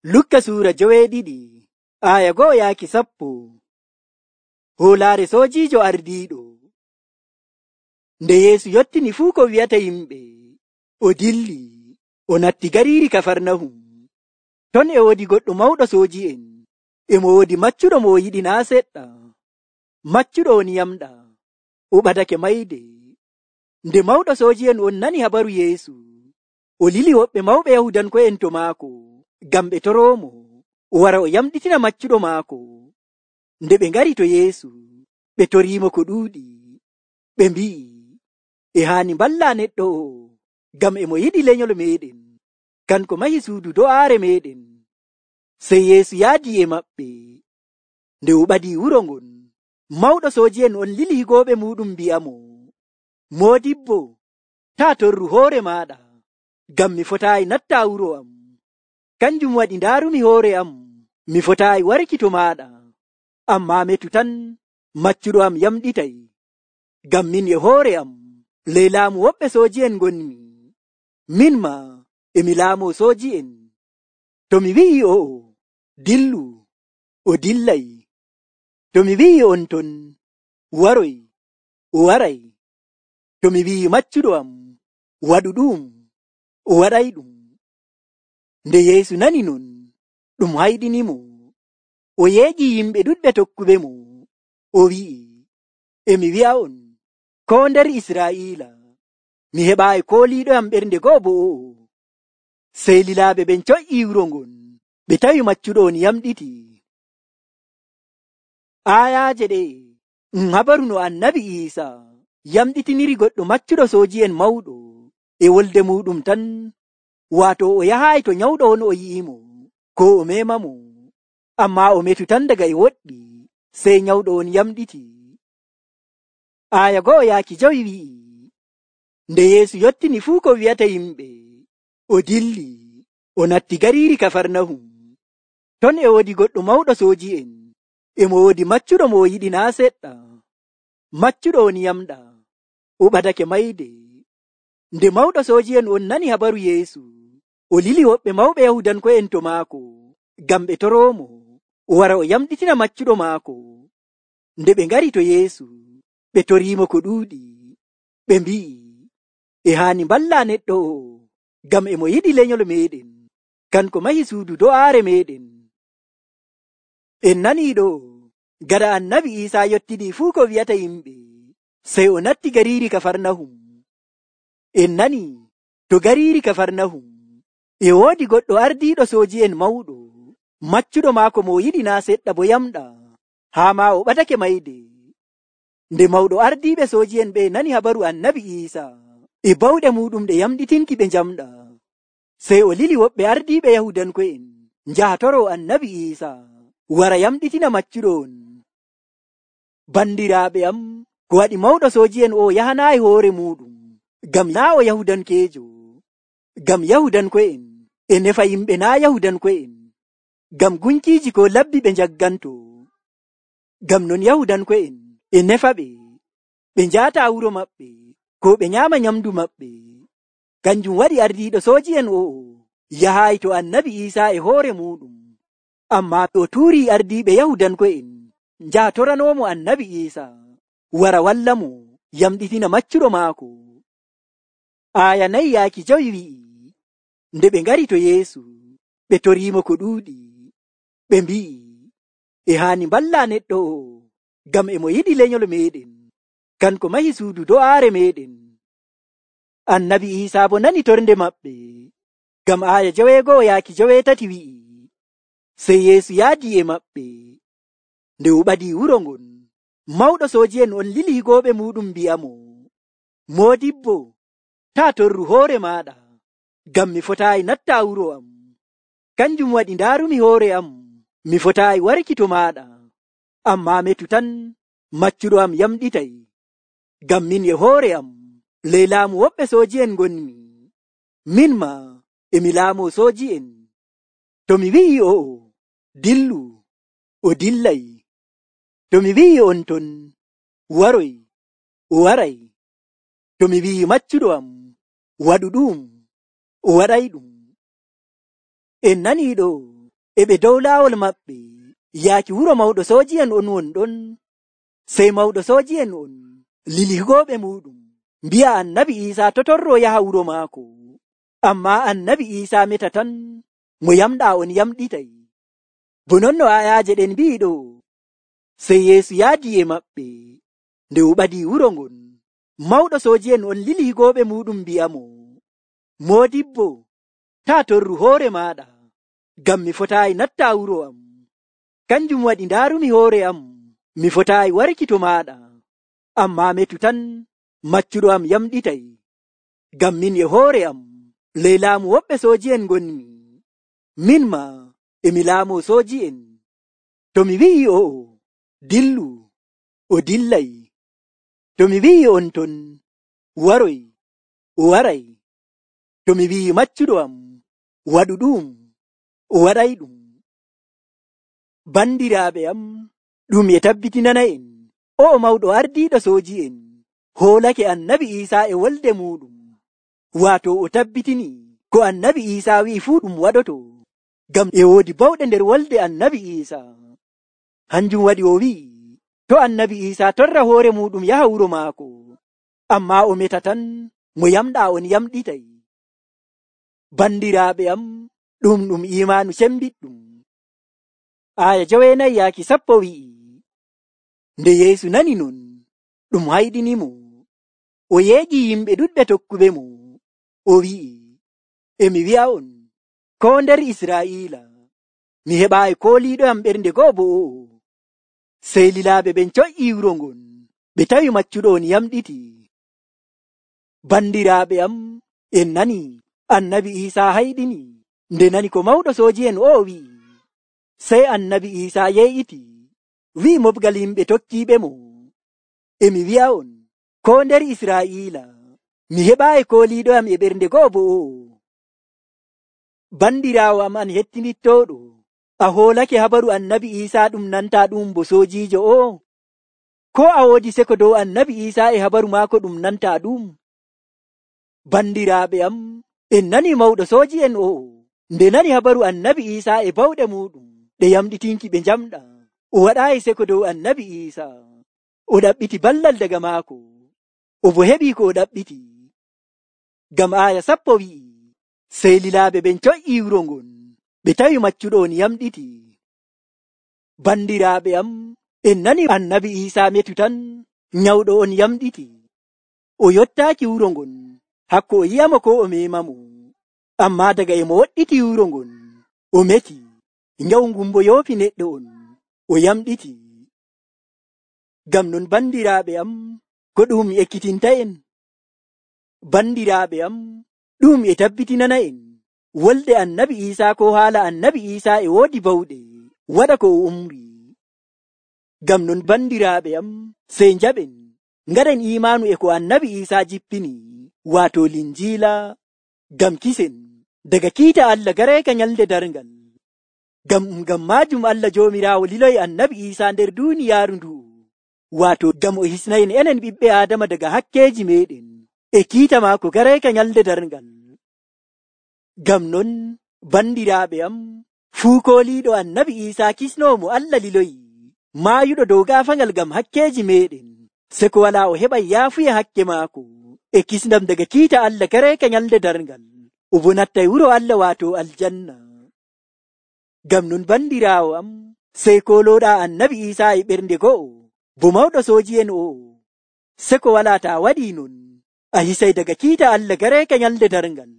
Lukka suura 7 aya 1-10. Hoolaare soojiijo ardiiɗo. Nde Yeesu yottini fuu ko wi'ata yimɓe, o dilli, o natti gariiri Kafarnahum. Ton e woodi goɗɗo mawɗo sooji'en, e mo woodi maccuɗo mo o yiɗi naa seɗɗa. Maccuɗo on yamɗa, o ɓadake mayde. Nde mawɗo sooji'en on nani habaru Yeesu, o lili woɓɓe mawɓe Yahudanko'en to maako, ngam ɓe toroomo, o wara o yamɗitina maccuɗo maako. Nde ɓe ngari to Yeesu, ɓe toriimo ko ɗuuɗi. Ɓe mbi'i, e haani mballa neɗɗo o, ngam e mo yiɗi lenyol meeɗen, kanko mahi suudu do'aare meeɗen. Sey Yeesu yaadi e maɓɓe. Nde o ɓadii wuro ngon, mawɗo sooji'en on lili higooɓe muuɗum mbi'amo, Moodibbo, taa torru hoore maaɗa, ngam mi fotaayi natta wuro am. Kanjum waɗi ndaarumi hoore am, mi fotaayi warki to maaɗa. Ammaa metu tan maccuɗo am yamɗitay, ngam min e hoore am ley laamu woɓɓe sooji'en ngonmi. Min maa e mi laamoo sooji'en. To mi wi'i o'o, dillu, o dillay. To mi wi'i on ton, waroy, o waray. To mi wi'i maccuɗo am, waɗu ɗum, o waɗay ɗum. Nde Yeesu nani non, ɗum hayɗinimo. O yeeƴi yimɓe ɗuɗɓe tokkuɓe mo. O wi'i, e mi wi'a'on, koo nder Israa'iila, mi heɓaayi kooliiɗoyam ɓernde go'o bo o'o. Sey lilaaɓe ɓen coƴƴii wuro ngon, ɓe tawi maccuɗo on yamɗiti. Aayaaje ɗe habaru no Annabi Iisaa yamɗitiniri goɗɗo maccuɗo sooji'en mawɗo e wolde muɗum tan, waato o yahaayi to nyawɗo on o yi'imo, ko o memamo, ammaa o metu tan daga e woɗɗi, sey nyawɗo on yamɗiti. Aya 1-5 wi'i, nde Yeesu yottini fuu ko wi'ata yimɓe, o dilli, o natti gariiri Kafarnahum. Ton e woodi goɗɗo mawɗo sooji'en, e mo woodi maccuɗo mo o yiɗi naa seɗɗa. Maccuɗo on yamɗa, o ɓadake mayde. Nde mawɗo sooji'en on nani habaru Yeesu, o lili woɓɓe mawɓe Yahudanko'en to maako, ngam ɓe toroomo, o wara o yamɗitina maccuɗo maako. Nde ɓe ngari to Yeesu, ɓe toriimo ko ɗuuɗi. Ɓe mbi'i, e haani mballa neɗɗo o, ngam e mo yiɗi lenyol meeɗen, kanko mahi suudu do'aare meeɗen. En nanii ɗo, gaɗa Annabi Iisaa yottini fuu ko wi'ata yimɓe, sey o natti gariiri Kafarnahum. En nani to gariiri Kafarnahum e woodi goɗɗo ardiiɗo sooji'en mawɗo, maccuɗo maako mo yiɗi naa seɗɗa bo yamɗa, haa maa o ɓadake mayde. Nde mawɗo ardiiɓe sooji'en ɓe nani habaru Annabi Iisaa e bawɗe muɗum ɗe yamɗitinki ɓe njamɗa, sey o lili woɓɓe ardiiɓe Yahudanko'en njaha toroo Annabi Iisaa wara yamɗitina maccuɗo on. Bandiraaɓe am, ko waɗi mawɗo sooji'en o yahanaayi hoore muɗum, ngam naa o Yahudankeejo, ngam Yahudanko'en e nefa yimɓe naa Yahudanko'en, ngam gunkiiji ko labbi ɓe njagganto. Ngam non Yahudanko'en e nefa ɓe njaata wuro maɓɓe, ko ɓe nyaama nyamdu maɓɓe. Kanjum waɗi ardiiɗo sooji'en o'o yahaayi to Annabi Iisaa e hoore muɗum, ammaa o tuurii ardiiɓe Yahudanko'en njaha toranoomo Annabi Iisaa wara walla mo yamɗitina maccuɗo maako. Aya 4-5 wi'i, nde ɓe ngari to Yeesu, ɓe toriimo ko ɗuuɗi. Ɓe mbi'i, e haani mballa neɗɗo o, ngam e mo yiɗi lenyol meeɗen, kanko mahi suudu do'aare meeɗen. Annabi Iisaa bo nani tornde maɓɓe, ngam aya 6-8 wi'i, sey Yeesu yaadi e maɓɓe. Nde o ɓadii wuro ngon, mawɗo sooji'en on lili higooɓe muɗum mbi'amo, Moodibbo, taa torru hoore maaɗa, ngam mi fotaayi natta wuro am. Kanjum waɗi ndaarumi hoore am, mi fotaayi warki to maaɗa. Ammaa metu tan maccuɗo am yamɗitay, ngam min e hoore am ley laamu woɓɓe sooji'en ngonmi. Min maa e mi laamoo sooji'en. To mi wi'i o'o, dillu, o dillay. To mi wi'i on ton, waroy, o waray. To mi wi'i maccuɗo am, waɗu ɗum, o waɗay ɗum. En nanii ɗo, e ɓe dow laawol maɓɓe yaaki wuro mawɗo sooji'en on wonɗon. Sey mawɗo sooji'en on lili higooɓe muɗum mbi'a Annabi Iisaa to torroo yaha wuro maako. Ammaa Annabi Iisaa meta tan mo yamɗaa on yamɗitay. Bo non no ayaaje ɗen mbi'i ɗo. Sey Yeesu yaadi e maɓɓe. Nde o ɓadii wuro ngon, mawɗo sooji'en on lili higooɓe muɗum mbi'amo, moodibbo, taa torru hoore maaɗa, ngam mi fotaayi natta wuro am. Kanjum waɗi ndaarumi hoore am, mi fotaayi warki to maaɗa. Ammaa metu tan maccuɗo am yamɗitay, ngam min e hoore am ley laamu woɓɓe sooji'en ngonmi. Min maa emi laamoo sooji'en. To mi wi'i o'o, dillu, o dillay. To mi wi'i on ton, waroy, o waray. To mi wi'i maccuɗo am, waɗu ɗum, o waɗay ɗum. Bandiraaɓe am, ɗum e tabbitinana en, o'o mawɗo ardiiɗo sooji'en hoolake Annabi Iisaa e wolde muɗum. Waato o tabbitini ko Annabi Iisaa wi'i fuu ɗum waɗoto, ngam e woodi bawɗe nder wolde Annabi Iisaa. Hanjum waɗi o wi'i, to Annabi Iisaa torra hoore muɗum yaha wuro maako, ammaa o meta tan mo yamɗaa on yamɗitay. Bandiraaɓe am, ɗum iimaanu cembiɗɗum. Aya 9-10 wi'i, nde Yeesu nani non, ɗum hayɗinimo. O yeegi yimɓe ɗuɗɓe tokkuɓe mo. O wi'i, emi wi'a on, koo nder Israa'iila, mi heɓaayi kooliiɗoyam ɓernde go'o bo o'o. Sey lilaaɓe ɓen coƴƴii wuro ngon, ɓe tawi maccuɗo on yamɗiti. Bandiraaɓe am, en nani Annabi Iisaa hayɗini nde nani ko mawɗo sooji'en o'o wi'i. Sey Annabi Iisaa yeeƴiti, wi'i moɓgal yimɓe tokkiiɓe mo, emi wi'a on, koo nder Israa'iila, mi heɓaayi kooliiɗoyam e ɓernde go'o bo o'o. Bandiraawo am an hettinittooɗo, a hoolake habaru Annabi Iisaa ɗum nantaa ɗum bo soojiijo o'o? Koo a woodi seko dow Annabi Iisaa e habaru maako ɗum nantaa ɗum? Bandiraaɓe am, en nani mawɗo sooji'en o'o, nde nani habaru Annabi Iisaa e bawɗe muɗum ɗe yamɗitinki ɓe njamɗa, o waɗaayi seko dow Annabi Iisaa. O ɗaɓɓiti ballal daga maako, o bo heɓii ko o ɗaɓɓiti. Ngam aya 10 wi'i, sey lilaaɓe ɓen coƴƴii wuro ngon, ɓe tawi maccuɗo on yamɗiti. Bandiraaɓe am, en nani Annabi Iisaa metu tan nyawɗo on yamɗiti. O yottaaki wuro ngon, hakko o yi'amo ko o memamo. Ammaa daga e mo woɗɗiti wuro ngon, o meti, nyawu ngun bo yoofi neɗɗo on, o yamɗiti. Ngam non bandiraaɓe am, ko ɗum ekkitinta en? Bandiraaɓe am, ɗum e tabbitinana en wolde Annabi Iisaa ko haala Annabi Iisaa e woodi bawɗe waɗa ko o umri. Ngam non bandiraaɓe am, sey njaɓen ngaɗen iimaanu e ko Annabi Iisaa jippini, waato Linjiila, ngam kisen daga kiita Allah gareeka nyalde darngal. Ngam maajum Allah Joomiraawo liloyi Annabi Iisaa nder duuniyaaru ndu, waato ngam o hisnayen enen ɓiɓɓe Aadama daga hakkeeji meɗen e kiita maako gareeka nyalde darngal. Ngam non bandiraaɓe am, fuu kooliiɗo Annabi Iisaa kisnoomo Allah liloyi, maayuɗo dow gaafangal ngam hakkeeji meɗen, seko walaa o heɓay yaafuya hakke maako e kisndam daga kiita Allah gareeka nyalde darngal, o bo nattay wuro Allah waato aljanna. Ngam non bandiraawo am, sey koolooɗaa Annabi Iisaa e ɓernde go'o, bo mawɗo sooji'en o'o, seko walaa taa waɗii non, a hisay daga kiita Allah gareeka nyalde darngal,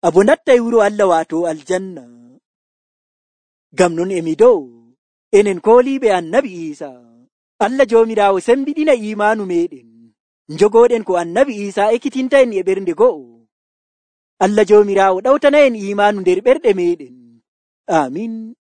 a bo nattay wuro Allah waato aljanna. Ngam non emi dow, enen kooliiɓe Annabi Iisaa, Allah Joomiraawo sembiɗina iimaanu meɗen, njogooɗen ko Annabi Iisaa ekkitinta en e ɓernde go'o. Allah Joomiraawo ɗawtana en iimaanu nder ɓerɗe meɗen. Amin.